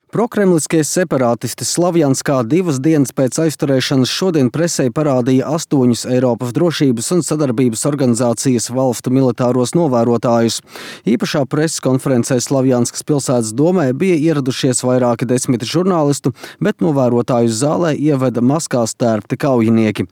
Prokremliskie separātisti Slavjanskā 2 dienas pēc aizturēšanas šodien presē parādīja 8 Eiropas drošības un sadarbības organizācijas valstu militāros novērotājus. Īpašā preses konferencē Slavjanskas pilsētas domē bija ieradušies vairāki 10 žurnālistu, bet novērotāju zālē ieveda maskās tērpti kaujinieki.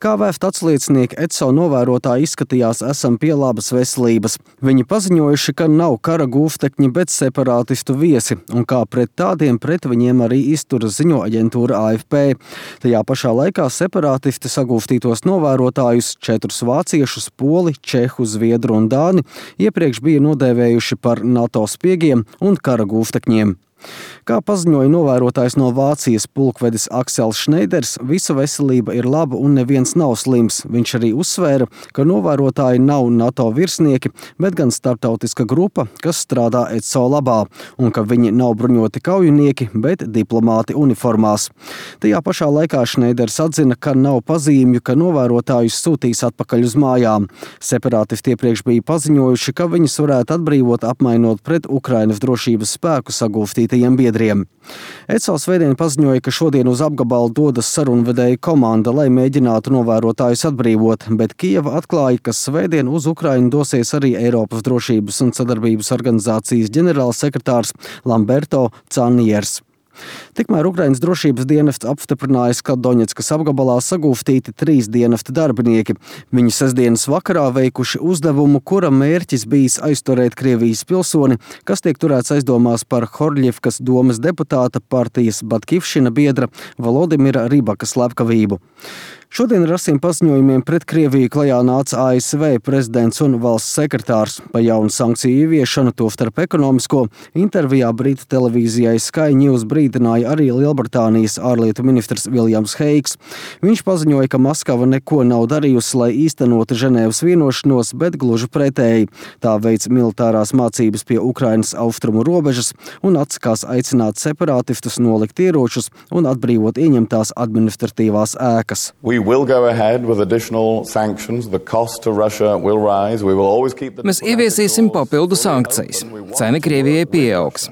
Kā vēft atsliecinieki, ECO novērotāji izskatījās esam pie labas veselības. Viņi paziņojuši, ka nav kara gūstekņi, bet separātistu viesi, un kā pret pret viņiem arī izturas ziņo aģentūra AFP. Tajā pašā laikā separātisti sagūstītos novērotājus 4 vāciešus, poli, čehu, zviedru un dāni iepriekš bija nodēvējuši par NATO spiegiem un kara gūstekņiem. Kā paziņoja novērotājs no Vācijas pulkvedis Aksels Šneiders, visa veselība ir laba un neviens nav slims. Viņš arī uzsvēra, ka novērotāji nav NATO virsnieki, bet gan starptautiska grupa, kas strādā ECO labā, un ka viņi nav bruņoti kaujinieki, bet diplomāti uniformās. Tajā pašā laikā Šneiders atzina, ka nav pazīmju, ka novērotājus sūtīs atpakaļ uz mājām. Separātisti iepriekš bija paziņojuši, ka viņus varētu atbrīvot apmainot pret Ukrainas drošības spēku sagūstītajiem biedriem. ECO svētdien paziņoja, ka šodien uz apgabalu dodas sarunvedēja komanda, lai mēģinātu novērotājus atbrīvot, bet Kijeva atklāja, ka svētdien uz Ukrainu dosies arī Eiropas drošības un sadarbības organizācijas ģenerālsekretārs Lamberto Caniers. Tikmēr Ukrainas drošības dienests apstiprinājis, ka Doņetskas apgabalā sagūstīti 3 dienesta darbinieki. Viņi sestdienas vakarā veikuši uzdevumu, kura mērķis bijis aizturēt Krievijas pilsoni, kas tiek turēts aizdomās par Horļivkas domes deputāta partijas Batkivšina biedra Volodimira Rybaka slepkavību. Šodien ar asiem paziņojumiem pret Krieviju klajā nāca ASV prezidents un valsts sekretārs. Pa jaunu sankciju ieviešanu, tostarp ekonomisko, intervijā Britu televīzijai Sky News brīdināja arī Lielbritānijas ārlietu ministrs Viljams Heigs. Viņš paziņoja, ka Maskava neko nav darījusi, lai īstenotu Ženēvas vienošanos, bet gluži pretēji. Tā veic militārās mācības pie Ukrainas austrumu robežas un atsakās aicināt separātistus nolikt ieročus un atbrīvot ieņemtās administratīvās ēkas. Mēs ieviesīsim papildu sankcijas. Cena Krievijai pieaugs.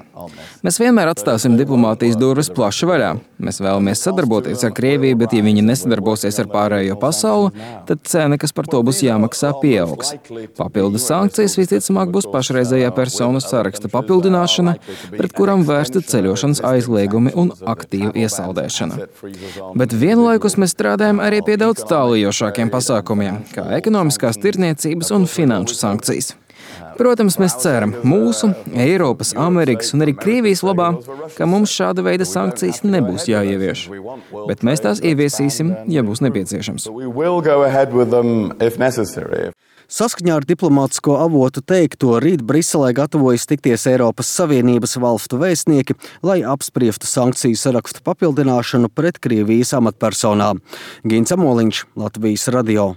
Mēs vienmēr atstāsim diplomātijas durvis plaši vaļā. Mēs vēlamies sadarboties ar Krieviju, bet ja viņi nesadarbosies ar pārējo pasauli, tad cena, kas par to būs jāmaksā, pieaugs. Papildus sankcijas visticamāk būs pašreizējā personu saraksta papildināšana, pret kuram vērsta ceļošanas aizliegumi un aktīva iesaldēšana. Bet vienlaikus mēs strādājam arī pie daudz tālījošākiem pasākumiem, kā ekonomiskās tirdzniecības un finanšu sankcijas. Protams, mēs ceram mūsu, Eiropas, Amerikas un arī Krievijas labā, ka mums šāda veida sankcijas nebūs jāievieš. Bet mēs tās ieviesīsim, ja būs nepieciešams. Saskaņā ar diplomātisko avotu teikto, rīt Briselē gatavojas tikties Eiropas Savienības valstu vēstnieki, lai apspriestu sankciju sarakstu papildināšanu pret Krievijas amatpersonām. Gins Amoliņš, Latvijas radio.